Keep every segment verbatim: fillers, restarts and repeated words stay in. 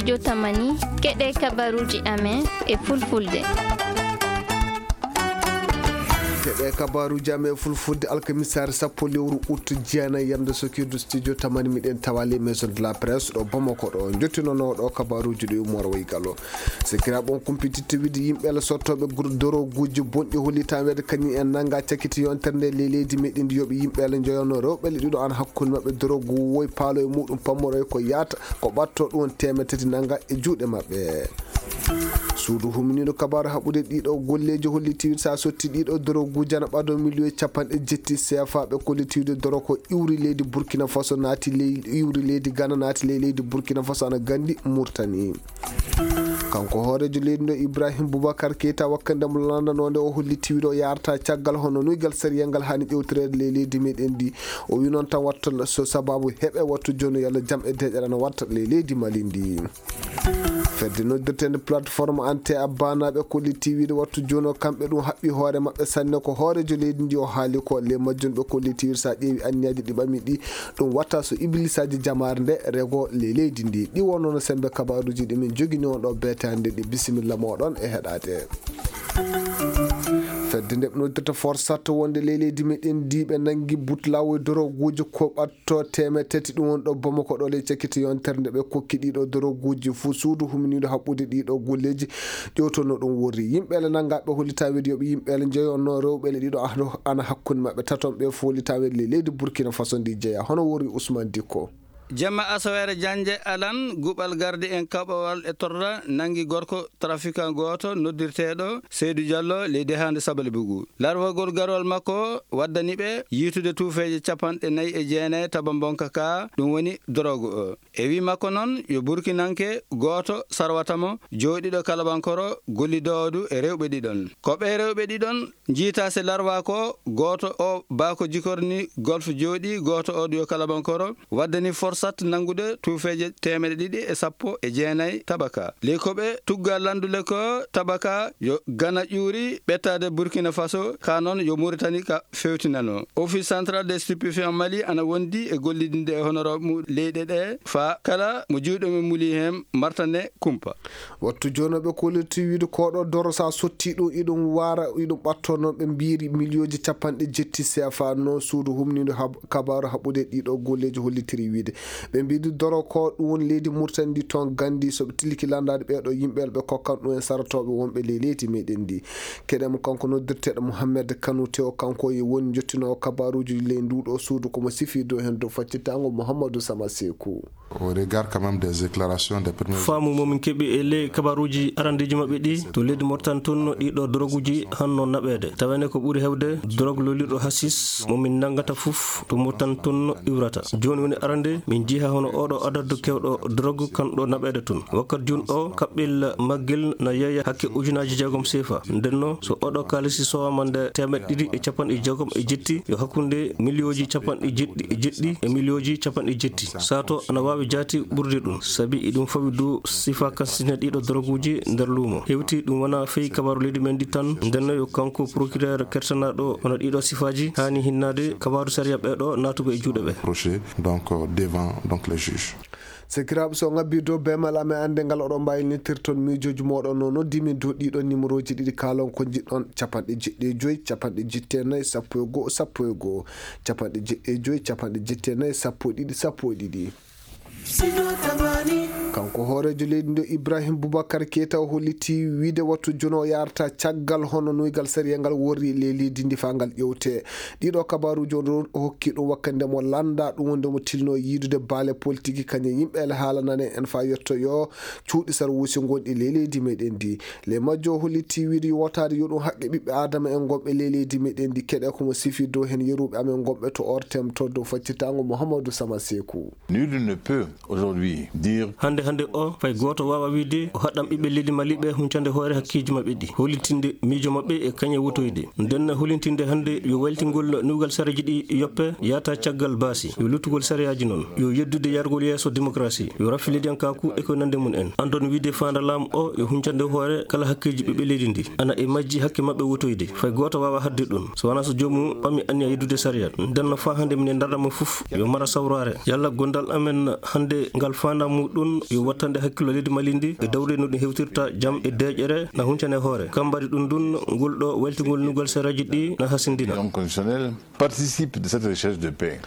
Studio Tamani, keɗe kabaruuji amen e fulfulde. Keɗe kabaruuji amen e fulfulde, alkamisaare sappo lewru ut jeenayi, yamde sokirdu Studio Tamani, miɗen tawa les maisons de la presse ɗo Bamako ɗo. Jottinooɗo kabaruuji ɗo Umar Waygalo. Sikiraaɓe, on kumpititte wiide yimɓe ala sottooɓe gro-, doroguuji bonɗi hollitaa weede kañum en nannga cakkiti yontere nde ley leydi meɗen ndi, yoɓe yimɓe ala njoyano rewɓe le ɗiɗo ana hakkunde maɓɓe dorogu woy paalo e muɗum pammoroy ko yaata ko ɓatto ɗum teemeɗɗe tati nannga e juuɗe maɓɓe. Suudu huminiiɗo kabaaru haɓude ɗiɗo golleeji hollitiiɗo sa sotti ɗiɗo doroguuji ana ɓado miliyoŋ capanɗe jetti C F A ɓe kollitiiɗo doro ko iwri leydi Burkina Faso naati ley iwri leydi Ghana naati ley leydi Burkina Faso ana gandi Murtani. Kanko hooreejo leydi ndo Ibrahim Boubacar Keita wakkande mo lanndanoonde o holliti wiɗo yarata caggal hono nuygal sariyal ngal hani ƴewtoreede ley leydi meɗen ndi. O wi noon tan watta so sababu heɓe wattu jooni yalla jam e deeƴere ana watta ley leydi Mali ndi. Fedde noddirteende plateforme ante abbanaaɓe kolliti wiide wattu jooni o kamɓe ɗum haɓɓi hoore maɓɓe sanne ko hooreejo leydi ndi o haali ko le majjum ɓe kolliti wiide sa ƴeewi anniyaaji ɗi ɓami ɗi ɗum watta so iblisaaji jamaare nde rego le leydi ndi. Ɗi wonno no sembe kabaruuji ɗi min jogini on ɗo beetaande ɗi bisimilla moɗon e heɗaade. Fedde nde ɓe noddirta forsat wonde ley leydi meɗen ndi ɓe nanngi butlaawo e doroguuji ko ɓatto teemeɗɗe tati ɗum woni ɗo Bamako ɗo ley cakkiti yontere nde ɓe kokki ɗiɗo doroguuji fuu suudu huminiiɗo haɓɓude ɗiɗo golleeji ƴewtono ɗum worri. Yimɓe ele nanngaaɓe hollitaaweede yoɓe yimɓe ele njeyonno rewɓe ele ɗiɗo ahno ana hakkunde maɓɓe taton ɓe fof hollitaaweede ley leydi Burkina Faso ndi jeya hono worri Ousmane Dikko. Jamma asaweere jannde alan, guɓal gardi en kaɓowal e torra nanngi gorko trafiquant gooto noddirteeɗo Seydou Diallo ley dehaande Sabalibugu. Larvagol garwal makko waddani ɓe yiitude tuufeeje capanɗe nayi e jeenayi taba mbonka ka, ɗum woni dorogu o. E wi makko noon, yo Burkinanke gooto sarwata mo, jooɗiiɗo Kalabankoro, gollidoowo du e rewɓe ɗiɗon. Ko ɓe rewɓe ɗiɗon njiita se larva ko gooto o baako jikorni golf jooɗi, gooto o du yo Kalabankoro, waddani forsat nanngude tuufeeje teemeɗɗe ɗiɗi e sappo e jeenayi tabaka. Ley ko ɓe tugga lanndule ko tabaka yo gana ƴuuri ɓettaade Burkina Faso, ka noon yo Mauritanie ka fewtinano. Office Central des Stupéfiants Mali ana wondi e gollidinde e honorable mu leyɗe ɗe faa kala mo juuɗe mum muli heen martane kumpa. Wattu jooni ɓe kolliti wiide koɗo doro sa sotti ɗum iɗum wara iɗum ɓatto noon ɓe mbiiri miliyooji capanɗe jetti C F A noon suudu humniiɗo hab-, kabaaru haɓude ɗiɗo golleeji hollitiri wiide ɓe mbiidi doro ko ɗum woni leydi Murtani ndi toon gandi so ɓe tilki landaade ɓeeɗo yimɓe ɓe kokkan ɗum en sarotooɓe wonɓe ley leydi meɗen ndi. Keɗen mo kanko noddirteeɗo Mohamed Kanu Tew, kanko e woni jottinoowo kabaaruuji ley nduuɗo suudu, ko mo sifi dow heen dow faccitango Mouhamadou Sama Seku. Au regard quand même des déclarations des premiers. Faamu mo min keɓi e ley kabaaruuji arandeeji maɓɓe ɗi, to leydi Mauritanie toon ɗiɗo droguuji hanno naɓeede. Tawene ko ɓuri heewde drogue lolliɗo hasis mo min nanngata fof to Mauritanie toon iwrata. Jooni woni arande min njiha hono oɗo adadu kewɗo drogue kan ɗo naɓeede toon. Wakkati jooni o kaɓɓel maggel na yeeya hakke ujunaaji jeegom sefa. Ndenno so oɗo kaalisi sowama nde teemeɗɗe ɗiɗi e capanɗe jeegom e jetti yo hakkunde miliyooji capanɗe jeɗɗi e jeɗɗi e miliyooji capanɗe jetti. Sato ana waawi jaati ɓurde ɗum, sabi eɗum fawi dow sifa kansine ɗiɗo doroguuji nder luumo. Hewti ɗum wona fey kabaaru leydi men ndi tan, ndenno yo kanko procureur kertanaaɗo hono ɗiɗo sifaaji haani hinnaade kabaaru sariya ɓeeɗo naatugo e juuɗe ɓe. Reproché, donc, euh, devant, donc, les juges. Sakiraaɓe, so ngabbi dow beemal amen annde ngal oɗon mbaawi nittirton miijooji mooɗon no noddi min dow ɗiɗo numéroji ɗiɗi kaalon ko njiɗɗon, capanɗe jeɗɗi e joyi, capanɗe jetti e nayi, sappo e go'o, sappo e go'o, capanɗe jeɗɗi e joyi, capanɗe jetti e nayi, sappo e ɗiɗi, sappo e ɗiɗi. Kanko hooreejo leydi ndo Ibrahim Boubacar Keita o holliti wiide wattu jono o yarata caggal hono nuygal sariya ngal worri le leydi ndi faa ngal ƴewte. Ɗiɗo kabaaruuji on o hokki ɗum wakkande mo lannda ɗum wonde mo tilno yiidude baale politiki kañum yimɓe ele haala nane en faa yetto yo cuuɗi sar wuusi ngonɗi le leydi meɗen ndi. Le majjo o holliti wiide yo wootaade yo ɗum haqqe ɓiɓɓe Aadama en ngonɓe le leydi meɗen ndi keɗe ko mo sifi dow heen yeruɓe amen ngonɓe to ortem to dow faccitango Mouhamadou Sama Seku. Nul ne peut aujourd'hui dire. Hannde hannde o fay gooto waawa wiide o haɗɗam ɓiɓɓe leydi Mali ɓe huncande hoore hakkeeji maɓɓe ɗi, hollitinde miijo maɓɓe e kañe wotoyde. Nden hollitinde hannde yo waylitingol nuugal sareeji ɗi yoppe yaata caggal baasi, yo luttugol sariyaaji noon, yo yeddude yargol yeeso démocratie, yo rafilidiyankaaku e ko nande mum en. Anndon wiide faanda laamu o yo huncande hoore kala hakkeeji ɓiɓɓe leydi ndi, ana e majji hakke maɓɓe wotoyde. Fay gooto waawa haɗde ɗum, so wanaa so joomum ɓami anniya yeddude sariya. Nden no faa hannde minen ndarɗa mo fof yo mara sawraare. Yalla gondal amen hannde ngal faandaa muɗum yo wattande hakkillo leydi Mali ndi e dawri no ɗum hewtirta jam e deeƴere na huncane hoore. Kam mbaɗi ɗum ɗum, ngol ɗo weltingol nugol saraji ɗi na hasindina. Constitutionnel participe de cette recherche de paix.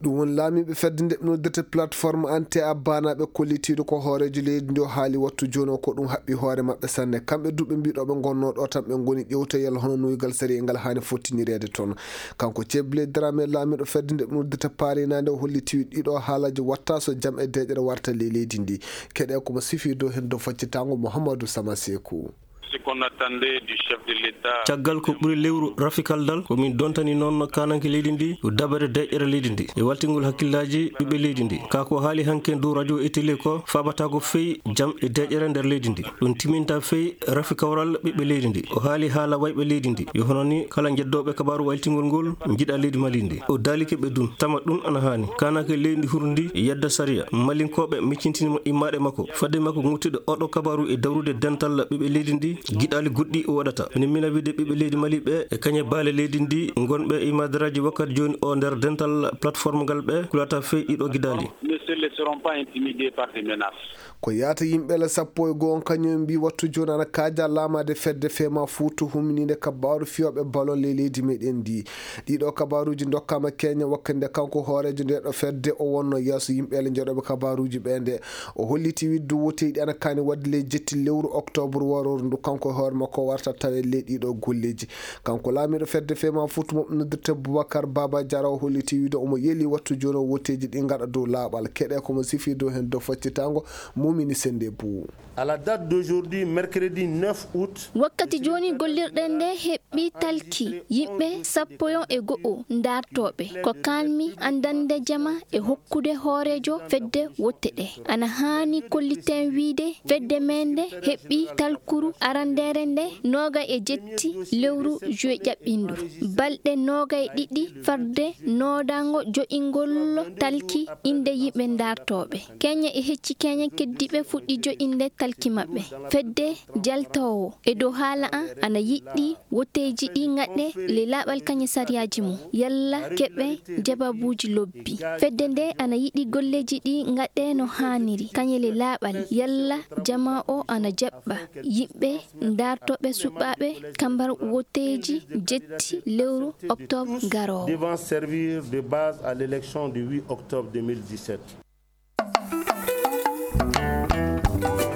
Ɗum woni laamiiɓe fedde nde ɓe noddirta plateforme anti a baanaaɓe kollitiiɗo ko hooreejo leydi ndi o haali wattu jooni o ko ɗum haɓɓi hoore maɓɓe sanne. Kamɓe duuɓe mbiɗo ɓe ngonnoo ɗo tan ɓe ngoni ƴewtoyal hono nuygal sariya ngal haani fottinireede toon. Kanko Ceble Dramé laamiiɗo fedde nde ɓe noddirta paarinaande o holliti ɗiɗo haalaaji watta so jam e deeƴere warta ley leydi ndi. Keɗe ko mo sifi dow heen dow faccitaango Mouhamadou Sama Sekou. Ce qu'on attendait du chef de l'État. Caggal ko ɓuri lewru rafikaldal, ko min dontani noon kananke leydi ndi, ko dabere deƴƴere leydi ndi e waltingol hakkillaaji ɓiɓɓe leydi ndi. Ka ko haali hanke dow radio e télé ko faabata ko fey jam e deƴƴere nder leydi ndi. Ɗum timinta fey rafi kawral ɓiɓɓe leydi ndi. O haali haala wayɓe leydi ndi. Yo hono ni kala jeddooɓe kabaaru waltingol ngol njiɗa leydi Mali ndi. O daalike ɓe ɗum, tama ɗum ana haani. Kananke leydi ndi hurndi yedda sariya. Malinkooɓe miccintinima immaaɗe makko. Fadde makko ŋuttude oɗo kabaru e dawrude dental ɓiɓɓe leydi ndi, giɗaali goɗɗi o waɗata. Minen mina wiide ɓiɓɓe leydi Mali ɓe e kañe baale leydi ndi ngonɓe e madaraaji wakkati jooni o nder dental plateforme ngal ɓe kulata fey ɗiɗo giɗaali. Ne se laisseront pas intimider par des menaces. Ko yaata yimɓe la sappo e goo on kañum mbi wattu jooni ana kaaja laamaade fedde fema Fuuta humininde kabaaru fiyooɓe balon ley leydi meɗen ndi. Ɗiɗo kabaaruuji ndokkaama Keña wakkati nde kanko hooreejo nde ɗo fedde o wonno yeeso yimɓe le njoɗooɓe kabaaruuji ɓe nde. O holliti wiide dow woteeji ɗi ana kaani waɗde ley jetti lewru octobre warooru ndu kanko e hoore makko warta tawe ley ɗiɗo golleeji. Kanko laamiiɗo fedde fema Fuuta mo noddirte Boubacar Baba Diarra o holliti wiide omo yeli wattu jooni o woteeji ɗi ngaɗa dow laaɓal. Keɗe ko mo sifi dow heen dow faccitaango Mumini Sende Bou. À la date d'aujourd'hui, mercredi neuf août. Wakkati jooni gollirɗen nde heɓɓi talki yimɓe sappo e go'o ndaartooɓe. Ko kaanmi andande jama e hokkude hooreejo fedde wotte ɗe. Ana haani kolliten wiide fedde men nde heɓɓi talkuru arandeere nde nooga e jetti lewru juwe ƴaɓɓindu. Balɗe nooga e ɗiɗi farde noodango jo'ingol talki inde yimɓe ndaartooɓe. Keñe e hecci keñe keddiiɓe fuɗɗi jo'inde talki maɓɓe. Fedde jaltoowo e dow haala an ana yiɗɗi woteeji ɗi ngaɗe le laaɓal kañe sariyaaji mum. Yalla keɓe jababuuji lobbi. Fedde nde ana yiɗi golleeji ɗi ngaɗe no haaniri. Kañe le laaɓal. Yalla jama o ana jaɓɓa. Yimɓe ndaartooɓe suɓaaɓe kambar woteeji jetti lewru octobre garoowo. Devant servir de base à l'élection du huit octobre deux mille dix-sept.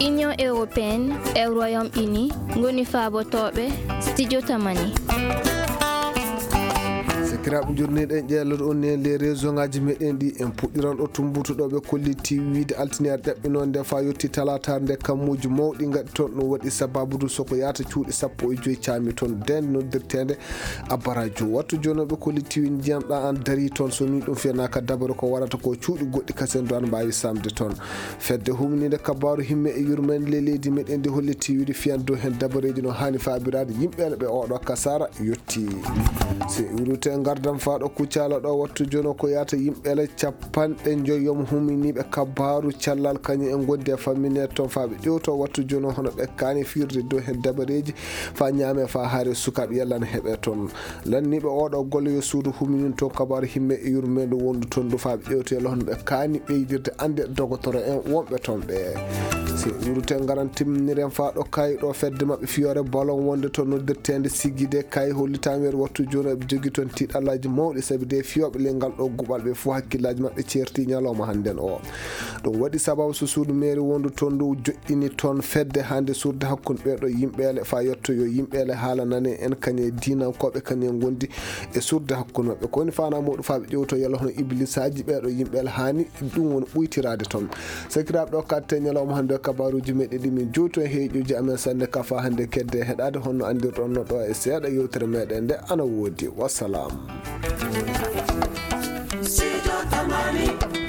Union européenne e Royaume-Uni ngoni faabotooɓe Studio Tamani. Sakiraaɓe, jurniiɗen ƴeelot on e les réseau ngaji meɗen ɗi en puɗɗiran ɗo tumbutuɗo ɓe kolliti wiide altiniyaar ƴaɓɓinoo nde faa yotti talaataar nde kammuuji mawɗi ngaɗi toon. Ɗum waɗi sababu du soko yaata cuuɗi sappo e joy caami toon deen noddirteende Abarajo. Wattu jooni ɓe kolliti wiide ndiyam ɗa an darii toon so nii ɗum fiyanaaka dabare ko warata ko cuuɗi goɗɗi kasen du an mbaawi samde toon. Fedde humniinde kabaaru himme e yurmeende ley leydi meɗen ndi holliti wiide fiyan dow heen dabareeji no haani faabiraade yimɓe ɓe oɗo kasaara yotti. Si iwrite ngardam faa ɗo Kucala ɗo wattu jooni ko yaata yimɓe le capanɗe njoyom huminiiɓe kabaaru callal kañum en ngondi e fammineede toon faa ɓe ƴewto wattu jooni hono ɓe kaani firde dow heen dabareeji faa ñaame faa haare sukaaɓe yalla ne heɓe toon. Lanniiɓe oɗo golle yo suudu huminin toon kabaaru himme e yurmeende wondu toon du faa ɓe ƴewto yalla hono ɓe kaani ɓeydirde annde dogotoro en wonɓe toon ɓe. Si iwrite ngaran timminiren faa ɗo kayi ɗo fedde maɓɓe fiyoore balon wonde toon noddirteende Sigide kayi hollitaama weeru wattu jooni eɓe jogi toon tiiɗallaaji mawɗi sabi de fiyooɓe ley ngal ɗo guɓal ɓe fof hakkillaaji maɓɓe ceerti ñalawma hannden o. Ɗum waɗi sababu so suudu meeri wondu toon ndu joɗɗini toon fedde hannde suurde hakkunde ɓee ɗo yimɓeele faa yetto yo yimɓeele haala nane en kañe diinankooɓe kañe ngondi e suurde hakkunde maɓɓe. Ko woni faanaa muɗum faa ɓe ƴewto yalla hono iblisaaji ɓee ɗo yimɓeele haani ɗum woni ɓuytiraade toon. Sakiraaɓe, ɗo katte ñalawma hannde o kabaaruuji meɗen ɗi min juuto e heeƴuuji amen sanne ka faa hannde kedde heɗaade honno anndirɗon no ɗo e seeɗa yewtere meɗen nde ana woodi. Wassalam. Studio Tamani.